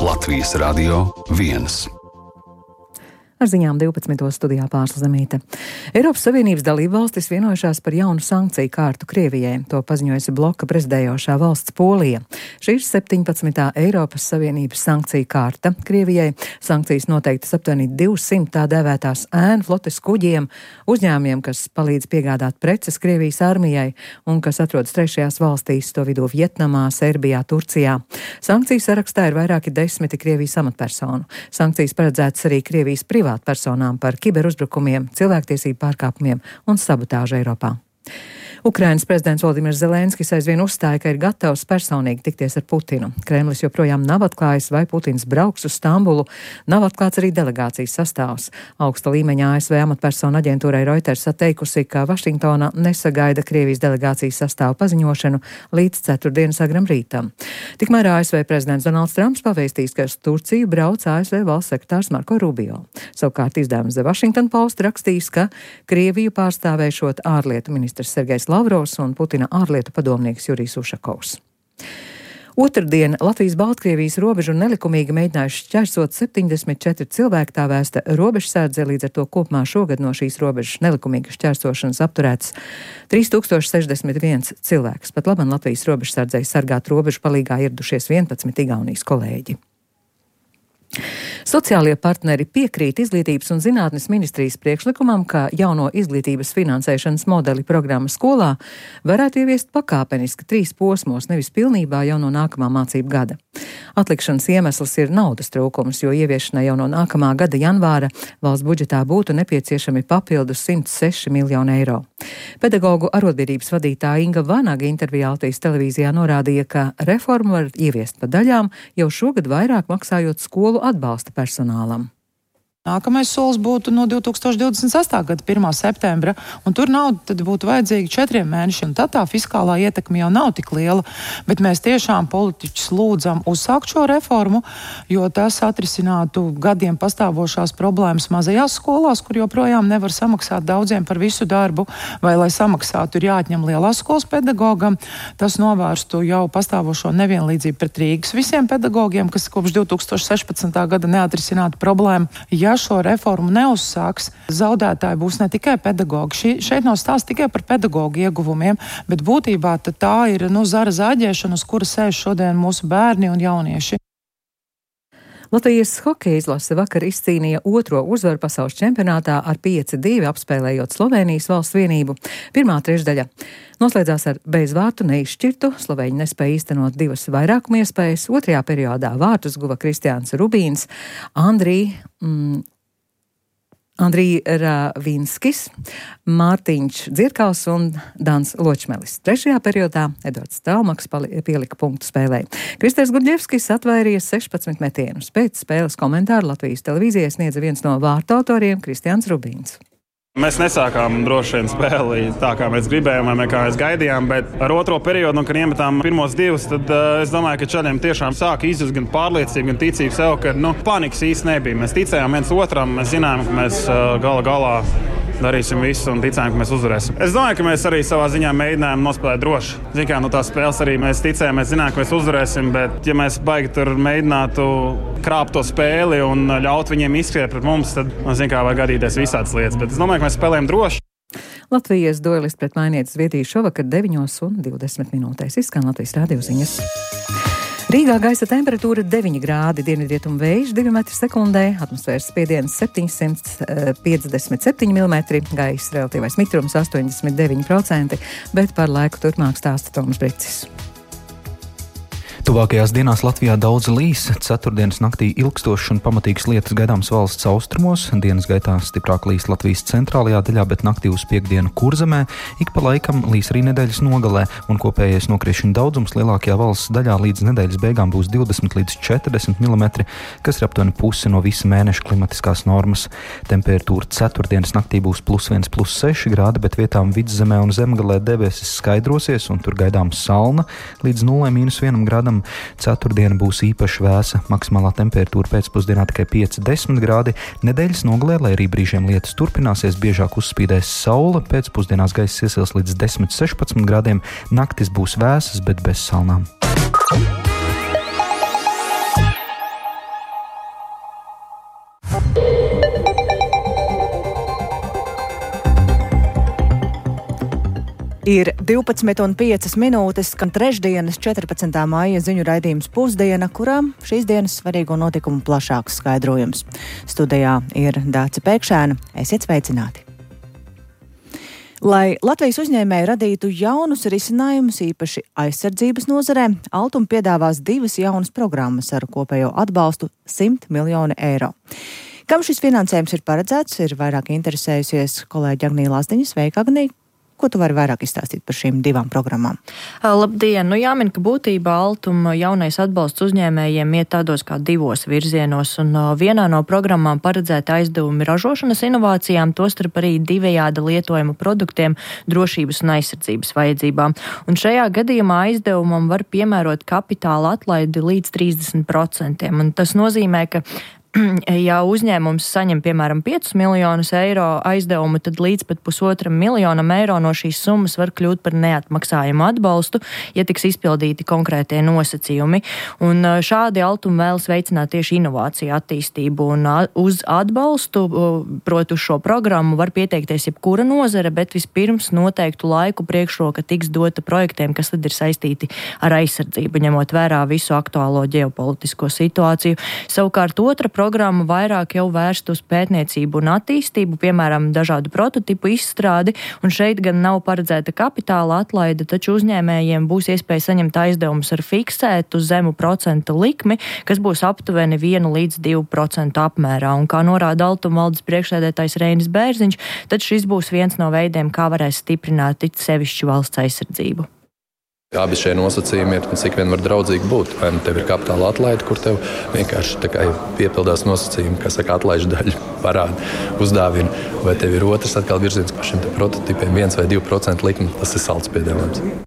Latvijas Radio 1. Ar ziņām 12. studijā Pārsla Zemīte. Eiropas Savienības dalībvalstis vienojušās par jaunu sankciju kārtu Krievijai. To paziņojusi bloka prezidējošā valsts Polija. Šī ir 17. Eiropas Savienības sankciju kārta Krievijai. Sankcijas noteiktas aptuveni 200 tā dēvētās ēnu flotes kuģiem, uzņēmumiem, kas palīdz piegādāt preces Krievijas armijai un kas atrodas trešajās valstīs, to vidū Vietnamā, Serbijā, Turcijā. Sankciju sarakstā ir vairāki desmiti Krievijas amatpersonu. Sankcijas paredzētas arī Krievijas privātpersonām par kiberuzbrukumiem, cilvēktiesību pārkāpumiem un sabotāžu Eiropā. Ukrainas prezidents Volodimirs Zelenskis aizvien uzstāja, ka ir gatavs personīgi tikties ar Putinu. Kremlis joprojām nav atklājis, vai Putins brauks uz Stambulu. Nav atklāts arī delegācijas sastāvs. Augsta līmeņa ASV amatpersonu aģentūrai Reuters atteikusi, ka Vašingtona nesagaida Krievijas delegācijas sastāvu paziņošanu līdz ceturtdienas agram rītam. Tikmēr ASV prezidents Donalds Trumps pavēstīs, ka uz Turciju brauc ASV valsts sekretārs Marko Rubio. Savukārt izdevums The Washington Post rakstīs, ka Krieviju pārstāvēšot ārlietu ministrs Sergejs Lavrovs un Putina ārlietu padomnieks Jurijs Ušakovs. Otrdien Latvijas-Baltkrievijas robežu nelikumīgi mēģinājuši šķērsot 74 cilvēki, tā vēsta robežsardze, līdz ar to kopumā šogad no šīs robežas nelikumīgas šķērsošanas apturēts 3061 cilvēks. Pat labam Latvijas robežsardzei sargāt robežu palīgā ieradušies 11 Igaunijas kolēģi. Sociālie partneri piekrīt Izglītības un zinātnes ministrijas priekšlikumam, ka jauno izglītības finansēšanas modeli programma skolā varētu ieviest pakāpeniski 3 posmos, nevis pilnībā jau no nākamā mācību gada. Atlikšanas iemesls ir naudas trūkums, jo ieviešanai jau no nākamā gada janvāra valsts budžetā būtu nepieciešami papildus 106 miljoni eiro. Pedagogu arotbiedrības vadītāja Inga Vanaga intervijā Latvijas televīzijā norādīja, ka reformu var ieviest pa daļām, jau šogad vairāk maksājot skolu atbalsta personālam. Nākamais solis būtu no 2028. gada 1. septembra, un tur nauda tad būtu vajadzīga 4 mēnešiem. Tad tā fiskālā ietekme jau nav tik liela, bet mēs tiešām politiķus lūdzam uzsākt šo reformu, jo tas atrisinātu gadiem pastāvošās problēmas mazajās skolās, kur joprojām nevar samaksāt daudziem par visu darbu, vai lai samaksātu ir jāatņem lielās skolas pedagogam. Tas novērstu jau pastāvošo nevienlīdzību pret Rīgas visiem pedagogiem, kas kopš 2016. gada neatrisinātu problēmu. Ja šo reformu neuzsāks, zaudētāji būs ne tikai pedagogi. Šeit nav stāsts tikai par pedagogu ieguvumiem, bet būtībā tā ir zara zāģēšana, uz kura sēž šodien mūsu bērni un jaunieši. Latvijas hokeja izlase vakar izcīnīja 2. uzvaru pasaules čempionātā ar 5-2 apspēlējot Slovēnijas valsts vienību. Pirmā trešdaļa noslēdzās ar bezvārtu neizšķirtu. Slovēņi nespēja īstenot 2 vairākuma iespējas. Otrajā periodā vārtus guva Kristiāns Rubīns, Andrij Ravinskis, Mārtiņš Dzirkals un Dans Ločmelis. Trešajā periodā Edvards Traumaks pielika punktu spēlē. Kristers Gurģevskis atvairīja 16 metienus. Pēc spēles komentāru Latvijas televīzijai sniedza viens no vārtu autoriem Kristiāns Rubīns. Mēs nesākām droši vien spēli tā, kā mēs gribējām, vai kā mēs gaidījām, bet ar otro periodu, kad iemetām pirmos 2, tad es domāju, ka čaļiem tiešām sāka izjust gan pārliecību, gan ticību sev, ka panikas īsti nebija. Mēs ticējām viens otram, mēs zinājām, ka mēs galā darīsim visu un ticējām, ka mēs uzvarēsim. Es domāju, ka mēs arī savā ziņā mēģinājām nospēlēt droši. Ziniet, kā tās spēles arī mēs ticējām, mēs zinājām, ka mēs uzvarēsim, bet ja mēs baigi tur mēģinātu krāpt to spēli un ļaut viņiem izskriet pret mums, tad, var gadīties visādas lietas. Bet es domāju, ka mēs spēlējam droši. Latvijas duelisti pret Mainietes Zviedriju šovakar 9:20. Izskan Latvijas radio ziņas. Rīgā gaisa temperatūra 9 grādi, dienvidrietumu vējš 2 metri sekundē, atmosfēras spiediens 757 mm, gaisa relatīvais mitrums 89%, bet par laiku turpmāk stāsta Toms Bricis. Tuvākajās dienās Latvijā daudz līs. Ceturtdienas naktī ilgstošs un pamatīgs lietus gaidāms valsts austrumos. Dienas gaitā stiprāk līs Latvijas centrālajā daļā, bet naktī uz piekdienu Kurzemē. Ik pa laikam līs arī nedēļas nogalē, un kopējais nokrišņu daudzums lielākajā valsts daļā līdz nedēļas beigām būs 20 līdz 40 mm, kas ir aptuveni pusi no visa mēneša klimatiskās normas. Temperatūra ceturtdienas naktī būs +1, +6 grādi, bet vietām vidzemē un zemgalē debesis skaidrosies, un tur gaidāms salna līdz 0–1 grādam. Ceturtdiena būs īpaši vēsa, maksimālā temperatūra pēcpusdienā tikai 5–10 grādi. Nedēļas nogalē, lai arī brīžiem lietus turpināsies, biežāk uzspīdēs saule, pēcpusdienās gaiss iesils līdz 10–16 grādiem, naktis būs vēsas, bet bez salnām. Ir 12,5 minūtes, skan trešdienas 14. maija ziņu raidījums Pusdiena, kurā šīs dienas svarīgo notikumu plašāks skaidrojums. Studijā ir Dāce Pēkšēna. Esiet sveicināti! Lai Latvijas uzņēmēji radītu jaunus risinājumus, īpaši aizsardzības nozarē, Altuma piedāvās 2 jaunas programmas ar kopējo atbalstu 100 miljoni eiro. Kam šis finansējums ir paredzēts, ir vairāk interesējusies kolēģi Agnija Lazdiņa. Sveika, Agnija! Ko tu vari vairāk izstāstīt par šīm 2 programmām? Labdien! Jāmin, ka būtībā Altuma jaunais atbalsts uzņēmējiem iet tādos kā 2 virzienos, un vienā no programmām paredzēta aizdevumi ražošanas inovācijām, tostarp arī 2 lietojuma produktiem, drošības un aizsardzības vajadzībām. Un šajā gadījumā aizdevumam var piemērot kapitāla atlaidi līdz 30%, un tas nozīmē, ka ja uzņēmums saņem, piemēram, 5 miljonus eiro aizdevumu, tad līdz pat 1,5 miljonam eiro no šīs summas var kļūt par neatmaksājumu atbalstu, ja tiks izpildīti konkrētie nosacījumi. Un šādi Altuma vēlas veicināt tieši inovāciju attīstību, un uz atbalstu, proti uz šo programmu, var pieteikties jebkura nozare, bet vispirms noteiktu laiku priekšroka tiks dota projektiem, kas tad ir saistīti ar aizsardzību, ņemot vērā visu aktuālo ģeopolitisko situāciju. Savukārt otra programma vairāk jau vērst uz pētniecību un attīstību, piemēram, dažādu prototipu izstrādi, un šeit gan nav paredzēta kapitāla atlaide, taču uzņēmējiem būs iespēja saņemt aizdevumus ar fiksētu zemu procentu likmi, kas būs aptuveni 1 līdz 2% apmērā. Un kā norāda Altuma valdes priekšsēdētājs Reinis Bērziņš, tad šis būs viens no veidiem, kā varēs stiprināt it sevišķi valsts aizsardzību. Abi šie nosacījumi ir, cik vien var draudzīgi būt. Vai nu tev ir kapitāla atlaide, kur tev vienkārši piepildās nosacījumi, kas saka atlaižu daļu parāda, uzdāvina, vai tev ir otrs atkal virziens par šiem prototipiem 1 vai 2% likmi, tas ir salds piedāvājums.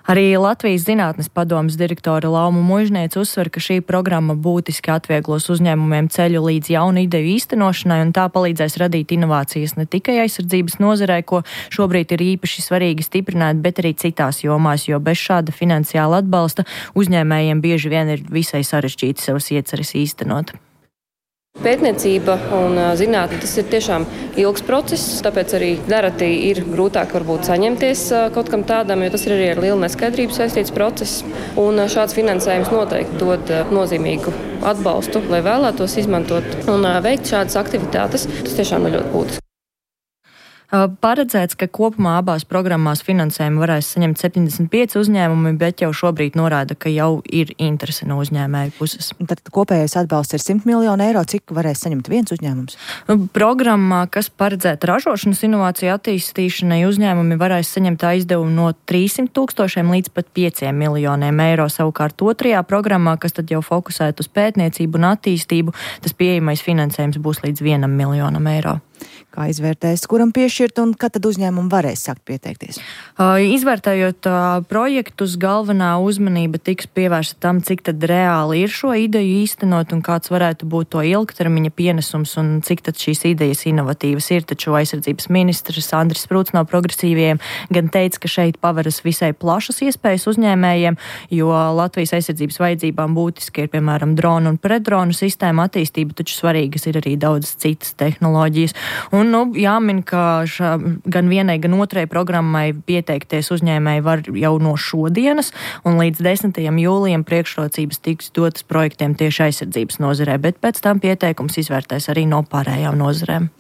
Arī Latvijas Zinātnes padomes direktore Lauma Mužniece uzsver, ka šī programma būtiski atvieglos uzņēmumiem ceļu līdz jaunu ideju īstenošanai, un tā palīdzēs radīt inovācijas ne tikai aizsardzības nozarē, ko šobrīd ir īpaši svarīgi stiprināt, bet arī citās jomās, jo bez šāda finansiāla atbalsta uzņēmējiem bieži vien ir visai sarežģīti savas ieceres īstenot. Pētniecība un zinātne, tas ir tiešām ilgs process, tāpēc arī nereti ir grūtāk varbūt saņemties kaut kam tādam, jo tas ir arī ar lielu neskaidrību saistīts process. Un šāds finansējums noteikti dod nozīmīgu atbalstu, lai vēlētos izmantot un veikt šādas aktivitātes. Tas tiešām ir ļoti būtiski. Paredzēts, ka kopumā abās programmās finansējumu varēs saņemt 75 uzņēmumi, bet jau šobrīd norāda, ka jau ir interese no uzņēmēju puses. Tad kopējais atbalsts ir 100 miljoni eiro. Cik varēs saņemt viens uzņēmums? Programmā, kas paredzēta ražošanas inovāciju attīstīšanai, uzņēmumi varēs saņemt aizdevumu no 300 000 līdz pat 5 miljoniem eiro. Savukārt otrajā programmā, kas tad jau fokusēt uz pētniecību un attīstību, tas pieejamais finansējums būs līdz 1 miljonam eiro. Kā izvērtēs, kuram piešķirt un kad tad uzņēmumi varēs sākt pieteikties? Izvērtējot projektus, galvenā uzmanība tiks pievērsta tam, cik tad reāli ir šo ideju īstenot un kāds varētu būt to ilgtermiņa pienesums un cik tad šīs idejas inovatīvas ir. Taču aizsardzības ministrs Andris Sprūts no Progresīvajiem gan teica, ka šeit paveras visai plašas iespējas uzņēmējiem, jo Latvijas aizsardzības vajadzībām būtiski ir, piemēram, dronu un pretdronu sistēma attīstība, taču svarīgas ir arī daudzas citas tehnoloģijas. Un, jāmin, ka gan vienai, gan otrai programmai pieteikties uzņēmēji var jau no šodienas, un līdz 10. jūlijam priekšrocības tiks dotas projektiem tieši aizsardzības nozarē, bet pēc tam pieteikums izvērtēs arī no pārējām nozarēm.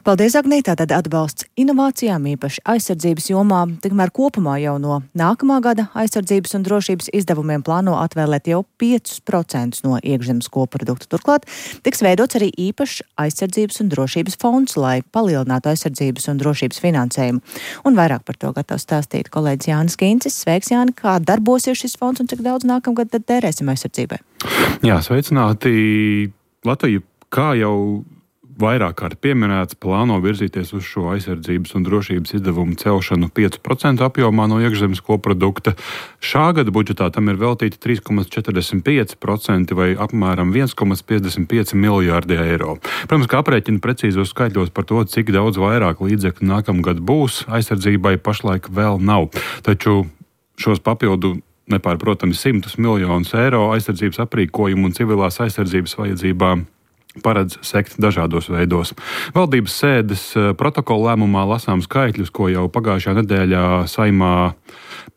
Paldies, Agnija. Tātad atbalsts inovācijām, īpaši aizsardzības jomā, tikmēr kopumā jau no nākamā gada aizsardzības un drošības izdevumiem plāno atvēlēt jau 5% no iekšzemes koprodukta. Turklāt tiks veidots arī īpašs aizsardzības un drošības fonds, lai palielinātu aizsardzības un drošības finansējumu. Un vairāk par to gatavs stāstīt kolēģis Jānis Kīncis. Sveiks, Jāni, kā darbosies šis fonds un cik daudz nākamgad tad tērēsim aizsardzībai? Jā, sveicināti. Latvija, kā jau vairāk kārt pieminēts, plāno virzīties uz šo aizsardzības un drošības izdevumu celšanu 5% apjomā no iekšzemes koprodukta. Šā gada budžetā tam ir veltīti 3,45% vai apmēram 1,55 miljārdi eiro. Protams, ka aprēķina precīzos skaitļos par to, cik daudz vairāk līdzekļu nākamgad būs, aizsardzībai pašlaik vēl nav. Taču šos papildu nepārprotami 100 miljonus eiro aizsardzības aprīkojumu un civilās aizsardzības vajadzībām paredz sekt dažādos veidos. Valdības sēdes protokola lēmumā lasām skaitļus, ko jau pagājušajā nedēļā Saeimā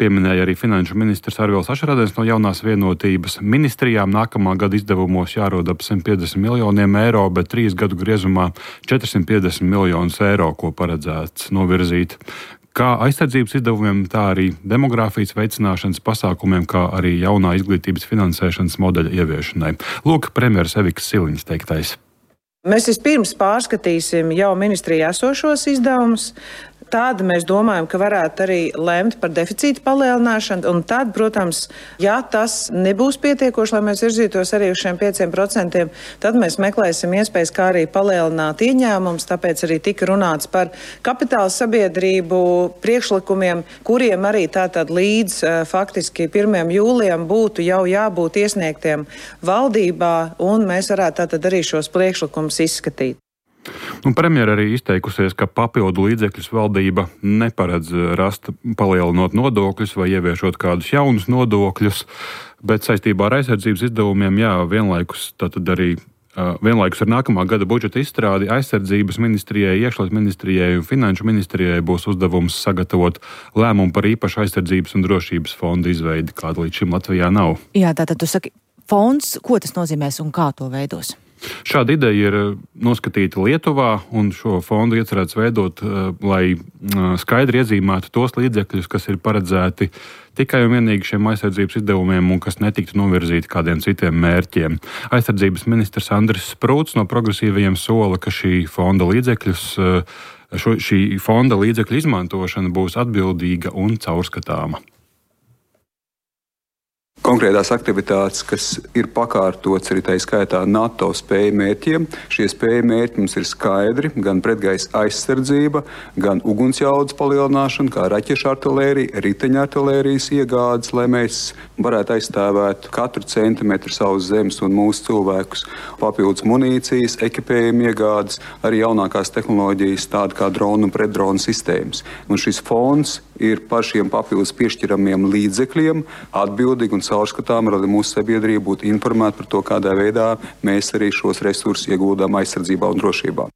pieminēja arī finanšu ministrs Arvils Ašarādens no Jaunās vienotības. Ministrijām nākamā gada izdevumos jārod ap 150 miljoniem eiro, bet 3 gadu griezumā 450 miljonus eiro, ko paredzēts novirzīt kā aizsardzības izdevumiem, tā arī demogrāfijas veicināšanas pasākumiem, kā arī jaunā izglītības finansēšanas modeļa ieviešanai. Lūk, premjeras Evikas Siliņas teiktais. Mēs vispirms pārskatīsim jau ministrijā esošos izdevumus. Tad mēs domājam, ka varētu arī lemt par deficīta palielināšanu. Un tad, protams, ja tas nebūs pietiekoši, lai mēs virzītos arī uz šiem 5%, tad mēs meklēsim iespējas, kā arī palielināt ieņēmumus. Tāpēc arī tika runāts par kapitāla sabiedrību priekšlikumiem, kuriem arī tātad līdz faktiski 1. jūlijam būtu jau jābūt iesniegtiem valdībā, un mēs varētu tātad arī šos priekšlikumus izskatīt. Premjera arī izteikusies, ka papildu līdzekļus valdība neparedz rast palielinot nodokļus vai ieviešot kādus jaunus nodokļus, bet saistībā ar aizsardzības izdevumiem, vienlaikus ar nākamā gada budžeta izstrādi aizsardzības ministrijai, iekšlietu ministrijai un finanšu ministrijai būs uzdevums sagatavot lēmumu par īpašu aizsardzības un drošības fondu izveidi, kāda līdz šim Latvijā nav. Jā, tātad tu saki, fonds, ko tas nozīmēs un kā to veidos? Šāda ideja ir noskatīta Lietuvā, un šo fondu iecerēts veidot, lai skaidri iezīmētu tos līdzekļus, kas ir paredzēti tikai un vienīgi šiem aizsardzības izdevumiem un kas netiktu novirzīti kādiem citiem mērķiem. Aizsardzības ministrs Andris Sprūts no progresīvajiem sola, ka šī fonda līdzekļu izmantošana būs atbildīga un caurskatāma. Konkrētās aktivitātes, kas ir pakārtots arī tā skaitā NATO spēju mērķiem. Šie spēju mērķi mums ir skaidri, gan pretgaisa aizsardzība, gan ugunsjaudas palielināšana, kā raķešu artilērija, riteņa artilērijas iegādes, lai mēs varētu aizstāvēt katru centimetru savas zemes un mūsu cilvēkus. Papildus munīcijas, ekipējuma iegādes, arī jaunākās tehnoloģijas, tāda kā dronu un pretdronu sistēmas. Un šis fonds ir par šiem papildus piešķiramiem līdzekļiem atbildīgi un caurskatām, lai mūsu sabiedrība būtu informēta par to, kādā veidā mēs arī šos resursus ieguldām aizsardzībā un drošībā.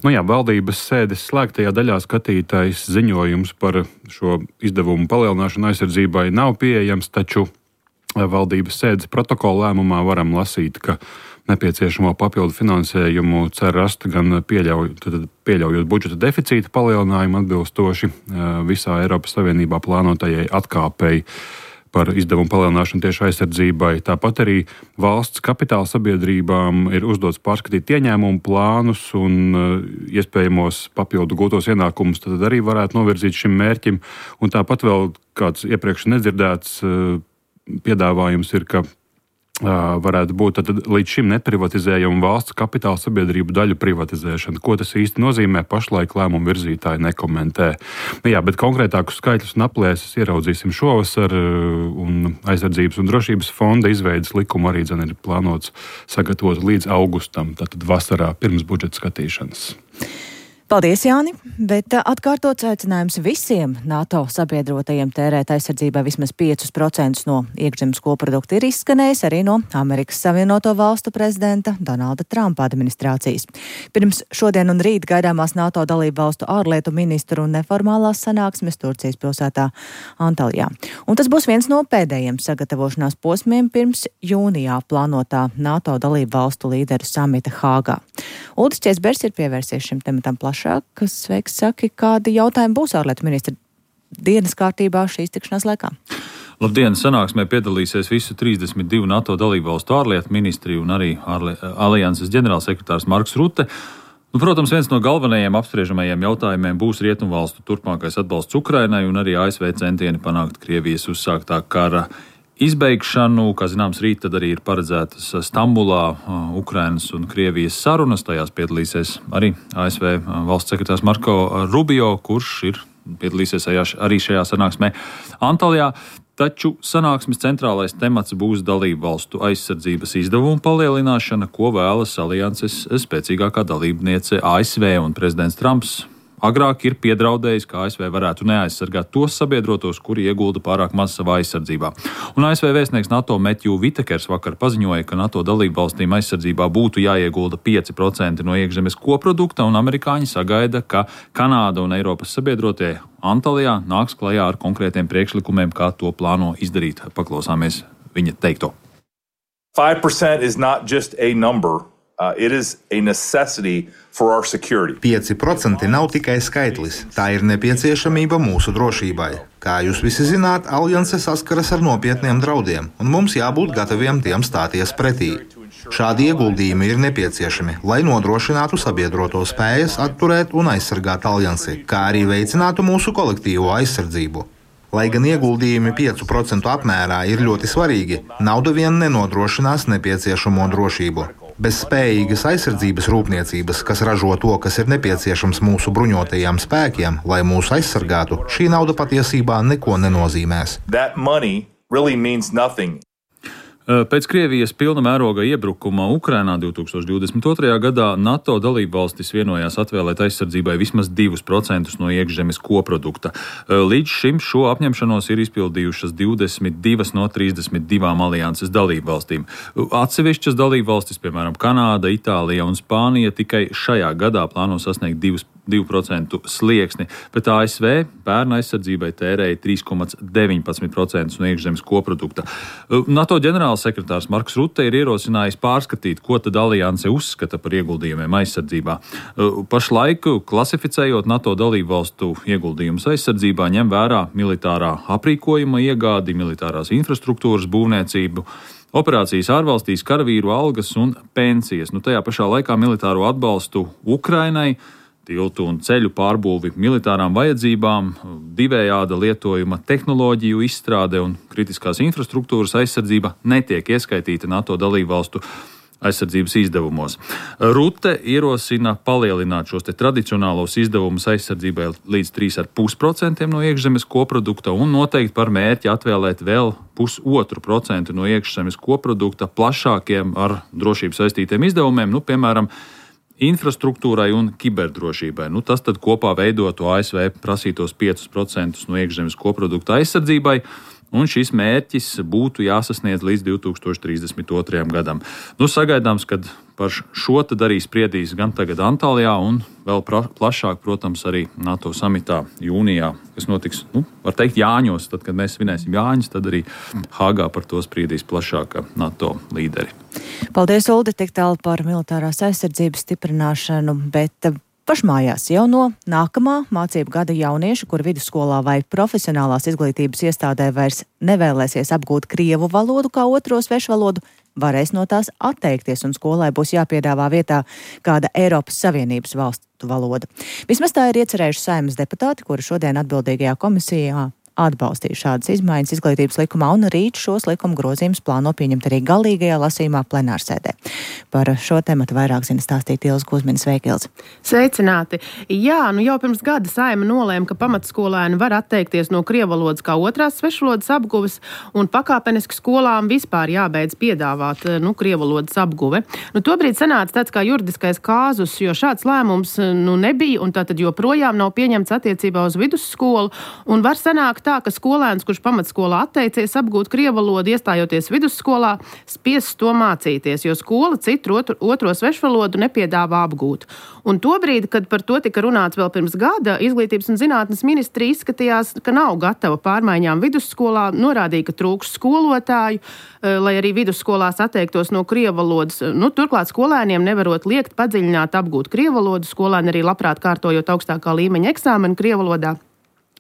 Valdības sēdes slēgtajā daļā skatītais ziņojums par šo izdevumu palielināšanu aizsardzībai nav pieejams, taču valdības sēdes protokola lēmumā varam lasīt, ka nepieciešamo papildu finansējumu cer rast gan pieļaujot budžeta deficīta palielinājumu atbilstoši visā Eiropas Savienībā plānotajai atkāpei par izdevumu palielināšanu tieši aizsardzībai. Tāpat arī valsts kapitāla sabiedrībām ir uzdots pārskatīt ieņēmumu plānus un iespējamos papildu gūtos ienākumus tad arī varētu novirzīt šim mērķim. Un tāpat vēl kāds iepriekš nedzirdēts piedāvājums ir, ka varētu būt līdz šim neprivatizējama valsts kapitāla sabiedrību daļu privatizēšana. Ko tas īsti nozīmē, pašlaik lēmumu virzītāji nekomentē. Bet konkrētākus skaitļus un aplēses ieraudzīsim šovasar, un aizsardzības un drošības fonda izveidas likumu arī ir plānots sagatavot līdz augustam, tātad vasarā pirms budžeta skatīšanas. Paldies, Jāni, bet atkārtots aicinājums visiem NATO sabiedrotajiem tērēt aizsardzībai vismaz 5% no iekšzemes koprodukta ir izskanējis arī no Amerikas Savienoto Valstu prezidenta Donalda Trumpa administrācijas. Pirms šodien un rīt gaidāmās NATO dalību valstu ārlietu ministru un neformālās sanāksmes Turcijas pilsētā Antaljā. Un tas būs viens no pēdējiem sagatavošanās posmiem pirms jūnijā plānotā NATO dalību valstu līderu samita Hāgā. Uldis Česbergs ir pievērsies šim tematam plašāk, kas sveiks saki, kādi jautājumi būs ārlietu ministra dienas kārtībā šīs tikšanās laikā. Labdien! Sanāksmē piedalīsies visu 32 NATO dalībvalstu ārlietu ministri un arī alianses ģenerālsekretārs Marks Rute. Protams, viens no galvenajiem apspriežamajiem jautājumiem būs Rietumvalstu turpmākais atbalsts Ukrainai un arī ASV centieni panākt Krievijas uzsāktā kara izbeigšanu. Kā zināms, rīt tad arī ir paredzētas Stambulā Ukrainas un Krievijas sarunas. Tajās piedalīsies arī ASV valsts sekretārs Marko Rubio, kurš piedalīsies arī šajā sanāksmē Antaljā. Taču sanāksmes centrālais temats būs dalību valstu aizsardzības izdevumu palielināšana, ko vēlas alianses spēcīgākā dalībniece ASV, un prezidents Trumps agrāk ir piedraudējis, ka ASV varētu neaizsargāt tos sabiedrotos, kuri iegulda pārāk maz savā aizsardzībā. Un ASV vēstnieks NATO Matthew Whitakers vakar paziņoja, ka NATO dalību valstīm aizsardzībā būtu jāiegulda 5% no iekšzemes koprodukta, un amerikāņi sagaida, ka Kanāda un Eiropas sabiedrotie Antalijā nāks klajā ar konkrētiem priekšlikumiem, kā to plāno izdarīt. Paklausāmies viņa teikto. 5% is not just a number. It is a necessity for our security. 5% nav tikai skaitlis, tā ir nepieciešamība mūsu drošībai. Kā jūs visi zināt, alianse saskaras ar nopietniem draudiem, un mums jābūt gataviem tiem stāties pretī. Šādi ieguldījumi ir nepieciešami, lai nodrošinātu sabiedroto spējas atturēt un aizsargāt aliansi, kā arī veicinātu mūsu kolektīvo aizsardzību. Lai gan ieguldījumi 5% apmērā ir ļoti svarīgi, nauda vien nenodrošinās nepieciešamo drošību. Bez spējīgas aizsardzības rūpniecības, kas ražo to, kas ir nepieciešams mūsu bruņotajiem spēkiem, lai mūs aizsargātu, šī nauda patiesībā neko nenozīmēs. That money really means nothing. Pēc Krievijas pilna mēroga iebrukuma Ukrainā 2022. gadā NATO dalībvalstis vienojās atvēlēt aizsardzībai vismaz 2% no iekšzemes koprodukta. Līdz šim šo apņemšanos ir izpildījušas 22 no 32 alianses dalībvalstīm. Atsevišķas dalībvalstis, piemēram, Kanāda, Itālija un Spānija, tikai šajā gadā plāno sasniegt 2% slieksni, bet ASV pērn aizsardzībai tērēja 3,19% no iekšzemes koprodukta. NATO ģenerālsekretārs Marks Rutte ir ierosinājis pārskatīt, ko tad alianse uzskata par ieguldījumiem aizsardzībā. Pašlaik, klasificējot NATO dalībvalstu ieguldījumus aizsardzībā, ņem vērā militārā aprīkojuma iegādi, militārās infrastruktūras būvniecību, operācijas ārvalstīs, karavīru algas un pensijas. Tajā pašā laikā militāro atbalstu Ukrainai, tiltu un ceļu pārbūvi militārām vajadzībām, divējāda lietojuma tehnoloģiju izstrāde un kritiskās infrastruktūras aizsardzība netiek ieskaitīta NATO dalībvalstu aizsardzības izdevumos. Rutte ierosina palielināt šos tradicionālos izdevumus aizsardzībai līdz 3,5% no iekšzemes koprodukta un noteikti par mērķi atvēlēt vēl 0,5% no iekšzemes koprodukta plašākiem ar drošību saistītiem izdevumiem, piemēram, infrastruktūrai un kiberdrošībai. Tas tad kopā veidotu ASV prasītos 5% no iekšzemes koprodukta aizsardzībai, un šis mērķis būtu jāsasniedz līdz 2032. gadam. Sagaidāms, ka par šo tad arī spriedīs gan tagad Antalijā un vēl plašāk, protams, arī NATO samitā jūnijā, kas notiks, var teikt, Jāņos. Tad, kad mēs svinēsim Jāņus, tad arī Hāgā par to spriedīs plašāk NATO līderi. Paldies, Uldi, tik tālu par militārās aizsardzības stiprināšanu, bet pašmājās jau no nākamā mācību gada jaunieši, kur vidusskolā vai profesionālās izglītības iestādē vairs nevēlēsies apgūt krievu valodu kā otro svešvalodu, varēs no tās atteikties, un skolai būs jāpiedāvā vietā kāda Eiropas Savienības valstu valoda. Vismaz tā ir iecerējuši Saeimas deputāti, kuri šodien atbildīgajā komisijā atbalstīja šādas izmaiņas izglītības likumā, un rīt šos likuma grozījumus plāno pieņemt arī galīgajā lasījumā plenārsēdē. Par šo tematu vairāk zina stāstīt Ilze Kuzmina. Sveiki, Ilze! Sveicināti! Jā, jau pirms gada Saeima nolēma, ka pamatskolēni var atteikties no krievu valodas kā otrās svešvalodas apguves, un pakāpeniski skolām vispār jābeidz piedāvāt krievu valodas apguve. Tobrīd sanāca tāds kā juridiskais kāzus, jo šāds lēmums nebija, un tātad joprojām nav pieņemts attiecībā uz vidusskolu, un var sanākt tā, ka skolēns, kurš pamatskolā atteicies apgūt krievu valodu, iestājoties vidusskolā, spiests to mācīties, jo skola citu otro svešvalodu nepiedāvā apgūt. Un tobrīd, kad par to tika runāts vēl pirms gada, Izglītības un zinātnes ministrija izskatījās, ka nav gatava pārmaiņām vidusskolā, norādīja, ka trūks skolotāju, lai arī vidusskolās atteiktos no krievu valodas. Turklāt skolēniem nevarot liekt padziļināt apgūt krievu valodu, skolēni arī labprāt kārtojot augstākā līmeņa eksāmenu krievu valodā.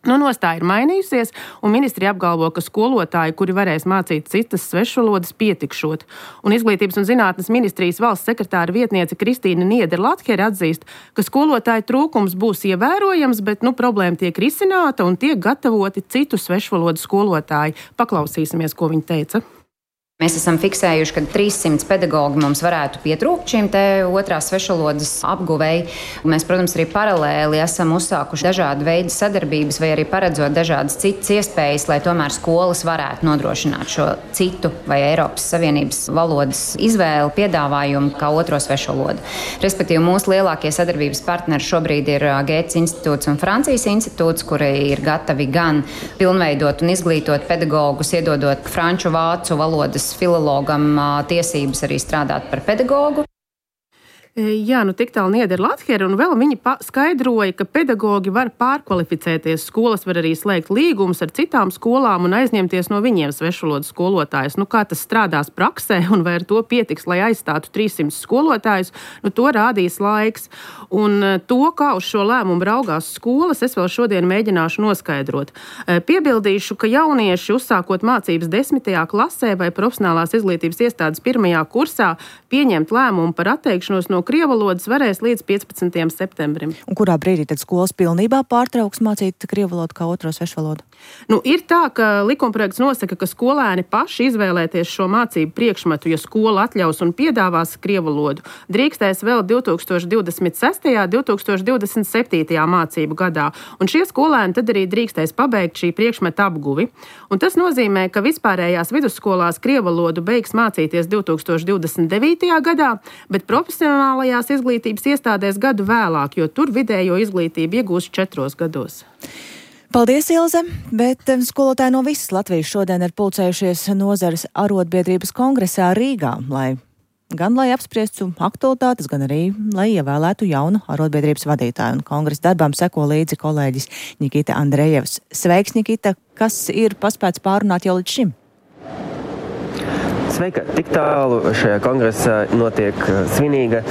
Nostāja ir mainījusies, un ministrija apgalvo, ka skolotāji, kuri varēs mācīt citas svešvalodas, pietikšot. Un Izglītības un zinātnes ministrijas valsts sekretāra vietniece Kristīna Nieder-Latkere atzīst, ka skolotāju trūkums būs ievērojams, bet problēma tiek risināta un tiek gatavoti citu svešvalodu skolotāji. Paklausīsimies, ko viņa teica. Mēs esam fiksējuši, ka 300 pedagogi mums varētu pietrūkt šīm te otrās svešvalodas apguvēji. Mēs, protams, arī paralēli esam uzsākuši dažādu veidu sadarbības vai arī paredzot dažādas citas iespējas, lai tomēr skolas varētu nodrošināt šo citu vai Eiropas Savienības valodas izvēli, piedāvājumu kā otro svešvalodu. Respektīvi, mūsu lielākie sadarbības partneri šobrīd ir Gētas institūts un Francijas institūts, kuri ir gatavi gan pilnveidot un izglītot pedagogus, iedodot franču, vācu valodas filologam tiesības arī strādāt par pedagogu. Jā, tik tālu Niedera Lathera, un vēl viņi skaidroja, ka pedagogi var pārkvalificēties. Skolas var arī slēgt līgumus ar citām skolām un aizņemties no viņiem svešvalodas skolotājus. Kā tas strādās praksē un vai ar to pietiks, lai aizstātu 300 skolotājus, to rādīs laiks. Un to, kā uz šo lēmumu raugās skolas, es vēl šodien mēģināšu noskaidrot. Piebildīšu, ka jaunieši uzsākot mācības 10. klasē vai profesionālās izglītības iestādes 1. kursā pieņemt lēmumu par atteikšanos no krievvalodas varēs līdz 15. septembrim. Un kurā brīdī tad skolas pilnībā pārtrauks mācīt krievvalodu kā otro svešvalodu? Ir tā, ka likumprojekts nosaka, ka skolēni paši izvēlēties šo mācību priekšmetu, ja skola atļaus un piedāvās krievvalodu, drīkstēs vēl 2026. 2027. mācību gadā. Un šie skolēni tad arī drīkstēs pabeigt šī priekšmeta apguvi. Un tas nozīmē, ka vispārējās vidusskolās krievvalodu beigs mācīties 2029. gadā, bet profesionālajās izglītības iestādēs gadu vēlāk, jo tur vidējo izglītību iegūst 4 gados. Paldies, Ilze, bet skolotāji no visas Latvijas šodien ir pulcējušies nozares arotbiedrības kongresā Rīgā, lai apspriestu aktualitātes, gan arī, lai ievēlētu jaunu arotbiedrības vadītāju. Un kongresa darbām seko līdzi kolēģis Nikita Andrejevs. Sveiks, Nikita, kas ir paspēts pārunāt jau līdz šim? Sveika! Tik tālu šajā kongresā notiek svinīga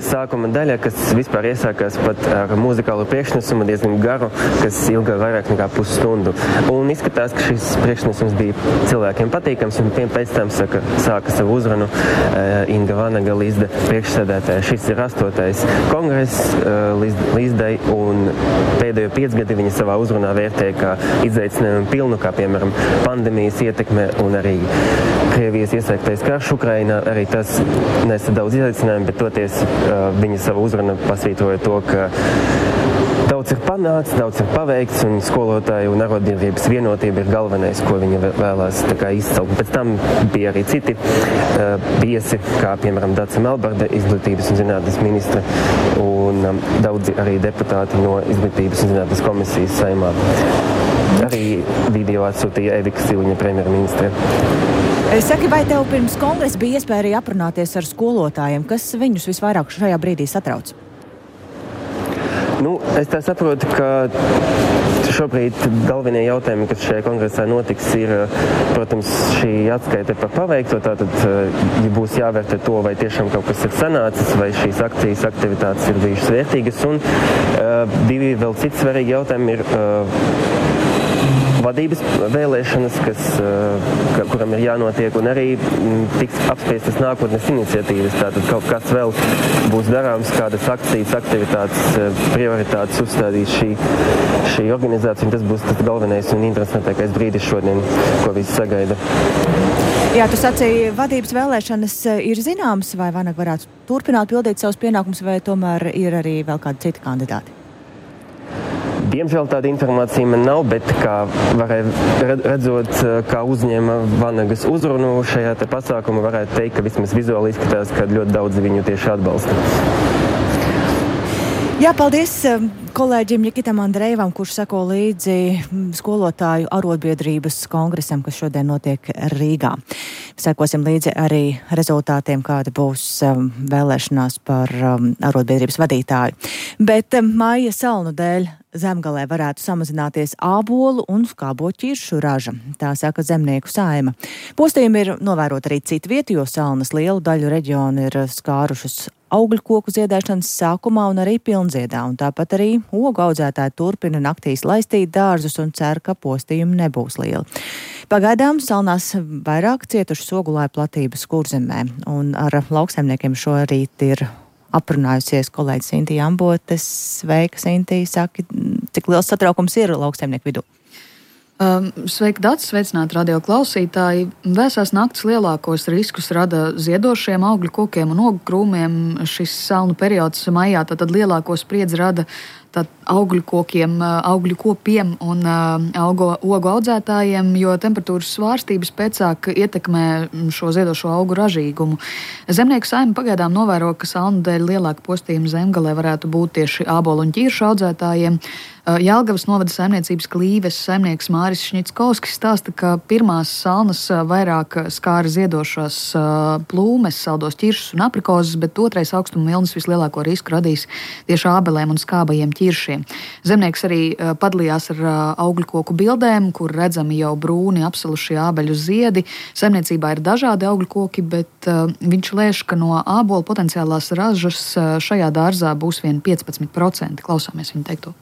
sākuma daļa, kas vispār iesākās pat ar muzikālu priekšnesumu diezgan garu, kas ilga vairāk nekā pusstundu. Un izskatās, ka šis priekšnesums bija cilvēkiem patīkams, un pēc tam sāka savu uzrunu Inga Vanaga, Līsda priekšsēdētāja. Šis ir 8. kongress Līsdai, un pēdējo 5 gadi viņa savā uzrunā vērtēja kā izaicinājumu pilnu, kā piemēram pandēmijas ietekme un arī Krievijas iesaistītais karš Ukrainā, arī tas nesa daudz izaicinājumu, bet toties viņa savu uzrunu pasvītroja to, ka daudz ir panākts, daudz ir paveikts, un skolotāju un arotbiedrības vienotība ir galvenais, ko viņa vēlās izcelt. Pēc tam bija arī citi viesi, kā piemēram Dace Melbarde, izglītības un zinātnes ministre, un daudzi arī deputāti no izglītības un zinātnes komisijas Saeimā. Arī video atsūtīja Evika Siliņa, premjerministre. Saki, vai tev pirms kongresa bija iespēja arī aprunāties ar skolotājiem? Kas viņus visvairāk šajā brīdī satrauc? Es tā saprotu, ka šobrīd galvenie jautājumi, kas šajā kongresā notiks, ir, protams, šī atskaite par paveikto. Tātad, ja būs jāvērtē to, vai tiešām kaut kas ir sanācis, vai šīs akcijas aktivitātes ir bijušas vērtīgas. Un 2 vēl citi svarīgi jautājumi ir vadības vēlēšanas, kuram ir jānotiek, un arī tiks apspriestas nākotnes iniciatīvas. Tātad kaut kas vēl būs darāms, kādas akcijas, aktivitātes, prioritātes uzstādīs šī organizācija, un tas būs tas galvenais un interesantākais brīdis šodien, ko visi sagaida. Jā, tu sacīji, vadības vēlēšanas ir zināmas, vai Vanaga varētu turpināt pildīt savus pienākumus, vai tomēr ir arī vēl kādi citi kandidāti? Diemžēl tāda informācija man nav, bet kā varēja redzot, kā uzņēma Vanagas uzrunu šajā pasākumā, varētu teikt, ka vismaz vizuāli izskatās, ka ļoti daudz viņu tieši atbalsta. Jā, paldies kolēģim Nikitam Andrejevam, kurš seko līdzi skolotāju arotbiedrības kongresam, kas šodien notiek Rīgā. Sekosim līdzi arī rezultātiem, kāda būs vēlēšanās par arotbiedrības vadītāju. Bet maija salnu dēļ Zemgalē varētu samazināties ābolu un skāboķiršu raža, tā saka Zemnieku saima. Postījumi ir novērot arī citu vietu, jo salnas lielu daļu reģionu ir skārušas augļu koku ziedēšanas sākumā un arī pilnziedā, un tāpat arī ogu audzētāji turpina naktīs laistīt dārzus un cer, ka postījumi nebūs lieli. Pagaidām salnās vairāk cietušas ogulāju platības Kurzemē, un ar lauksaimniekiem šorīt ir aprunājusies kolēģis Sinti Ambotes. Sveika, Sinti, saki, cik liels satraukums ir lauksaimnieku vidū? Sveiki, Dats, sveicināti radio klausītāji. Vēsās naktis lielākos riskus rada ziedošiem augļu kokiem un ogu krūmiem. Šis salnu periods maijā tad lielāko spriedzi rada augļu kokiem, augļu kopiem un ogu audzētājiem, jo temperatūras svārstības pēcāk ietekmē šo ziedošo augu ražīgumu. Zemnieku saime pagaidām novēro, ka salnu dēļ lielāka postījuma zemgalē varētu būt tieši ābolu un ķiršu audzētājiem. Jelgavas novada saimniecības Klīves saimnieks Māris Šņickovskis stāsta, ka pirmās salnas vairāk skāra ziedošās plūmes, saldos ķiršus un aprikozes, bet otrais augstuma vilnis vislielāko risku radīs tieši ābelēm un skābajiem ķiršiem. Zemnieks arī padalījās ar augļu koku bildēm, kur redzami jau brūni apsalušie ābeļu ziedi. Saimniecībā ir dažādi augļu koki, bet viņš lēš, ka no ābolu potenciālās ražas šajā dārzā būs vien 15%. Klausāmies viņa teikto.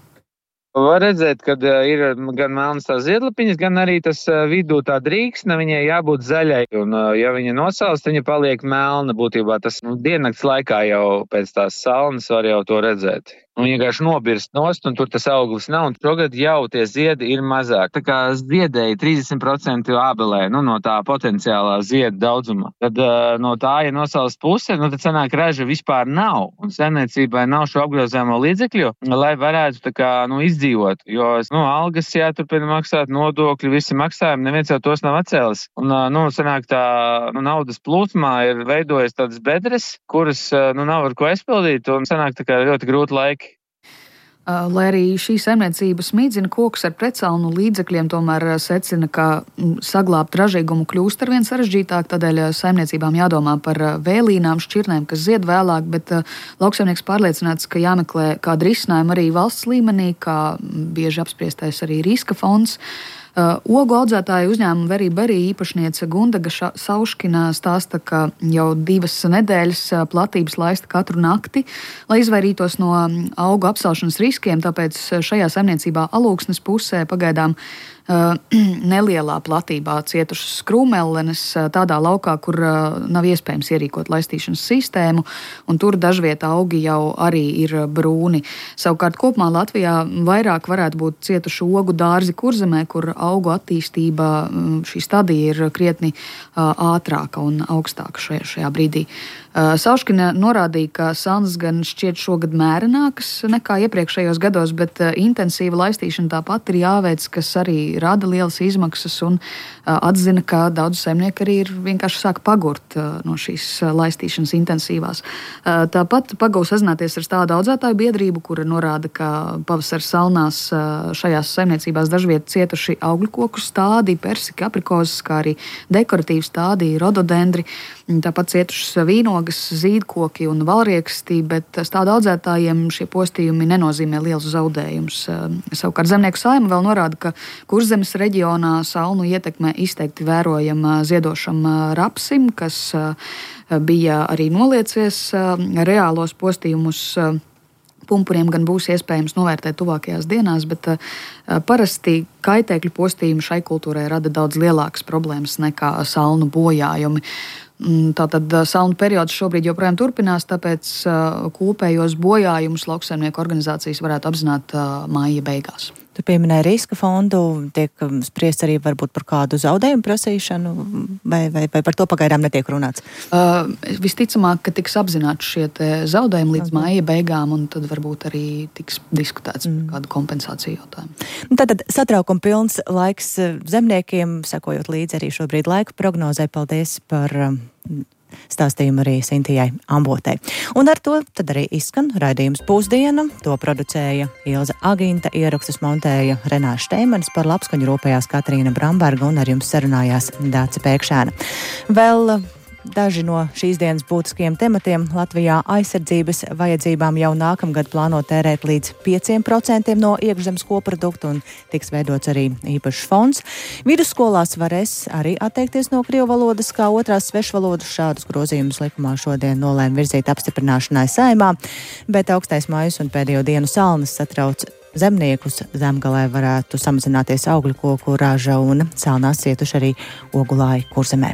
Var redzēt, ka ir gan melnas tās ziedlapiņas, gan arī tas vidū tā drīksne, viņai jābūt zaļai. Un, ja viņa nosalst, viņa paliek melna. Būtībā tas diennakts laikā jau pēc tās salnas var jau to redzēt. Un vienkārši nobirst nost, un tur tas auglis nav, un šogad jau tie ziedi ir mazāk. Tā kā ziedēja 30% ābelē, no tā potenciālā ziedu daudzuma. Tad no tā, ja nosalst puse, tad sanāk raža vispār nav. Un saimniecībai nav šo apgrozāmo līdzekļu, lai varētu tā kā, izdzīvot. Jo, algas jāturpina maksāt, nodokļi, visi maksājumi, neviens jau tos nav atcēlis. Un, sanāk tā, naudas plūsmā ir veidojas tādas bedres, kuras, nav ar ko aizpildīt, un sanāk tā kā ļoti grūti laiki. Lai arī šī saimniecība smīdzina kokus ar pretsalnu līdzekļiem, tomēr secina, ka saglābt ražīgumu kļūst arvien sarežģītāk, tādēļ saimniecībām jādomā par vēlīnām, šķirnēm, kas zied vēlāk, bet lauksaimnieks pārliecināts, ka jāmeklē kāda risinājuma arī valsts līmenī, kā bieži apspriestais arī riska fonds. Ogu audzētāju uzņēmuma Very Berry īpašniece Gundaga Sauškina stāsta, ka jau 2 nedēļas platības laista katru nakti, lai izvairītos no augu apsalšanas riskiem, tāpēc šajā saimniecībā Alūksnes pusē pagaidām nelielā platībā cietušas krūmellenes tādā laukā, kur nav iespējams ierīkot laistīšanas sistēmu, un tur dažviet augi jau arī ir brūni. Savukārt kopumā Latvijā vairāk varētu būt cietuši ogu dārzi Kurzemē, kur augu attīstība, šī stadija ir krietni ātrāka un augstāka šajā brīdī. Sauškina norādīja, ka salnas gan šķiet šogad mērenākas nekā iepriekšējos gados, bet intensīva laistīšana tāpat ir jāveic, kas arī rada lielas izmaksas, un atzina, ka daudz saimnieki arī ir vienkārši sāk pagurt no šīs laistīšanas intensīvās. Tāpat pagūs sazināties ar tādu audzētāju biedrību, kura norāda, ka pavasara salnās šajās saimniecībās dažviet cietuši augļu koku stādi, persika, aprikozes, kā arī dekoratīvi stādi, rododendri, tāpat cietušas vīnogas, zīdkoki un valrieksti, bet stādu audzētājiem šie postījumi nenozīmē lielus zaudējumus. Savukārt Zemnieku saima vēl norāda, ka Kurzemes reģionā salnu ietekme izteikti vērojama ziedošam rapsim, kas bija arī noliecies reālos postījumus. Pumpuriem gan būs iespējams novērtēt tuvākajās dienās, bet parasti kaitēkļu postījumi šai kultūrai rada daudz lielākas problēmas nekā salnu bojājumi. Tātad salnu periods šobrīd joprojām turpinās, tāpēc kopējos bojājumus lauksaimnieku organizācijas varētu apzināt māja beigās. Tu pieminēji riska fondu, tiek spriests arī varbūt par kādu zaudējumu prasīšanu, vai par to pagaidām netiek runāts? Visticamāk, ka tiks apzināti šie zaudējumi līdz māja beigām, un tad varbūt arī tiks diskutēts par kādu kompensāciju jautājumu. Tātad satraukuma pilns laiks zemniekiem, sekojot līdzi arī šobrīd laika prognozē. Paldies par stāstījumu arī Sintijai Ambotei. Un ar to tad arī izskan raidījums Pusdiena. To producēja Ilze Aginta, ierakstus montēja Renāša Šteimanis, par labskaņu rūpējās Katrīna Bramberga un ar jums sarunājās Dāce Pēkšēna. Vēl daži no šīs dienas būtiskiem tematiem. Latvijā aizsardzības vajadzībām jau nākamgad plāno tērēt līdz 5% no iekšzemes koprodukta un tiks veidots arī īpašs fonds. Vidusskolās varēs arī atteikties no krievu valodas kā otrās svešvalodas. Šādus grozījumus likumā šodien nolēma virzīt apstiprināšanai Saeimā, bet augstais maijs un pēdējo dienu salnas satrauc zemniekus. Zemgalē varētu samazināties augļu koku raža un salnās cietuši arī ogulāji Kurzemē.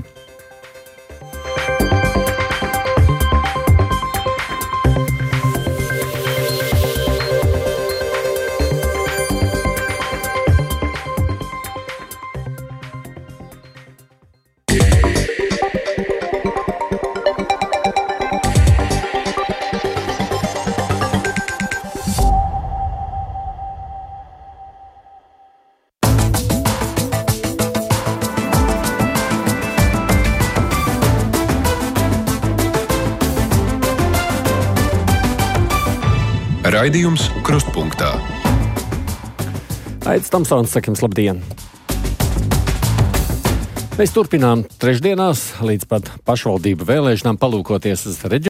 Raidījums Krustpunktā. Aits Tamsons, sakim, labdien! Mēs turpinām trešdienās līdz pat pašvaldību vēlēšanām palūkoties uz reģionālajiem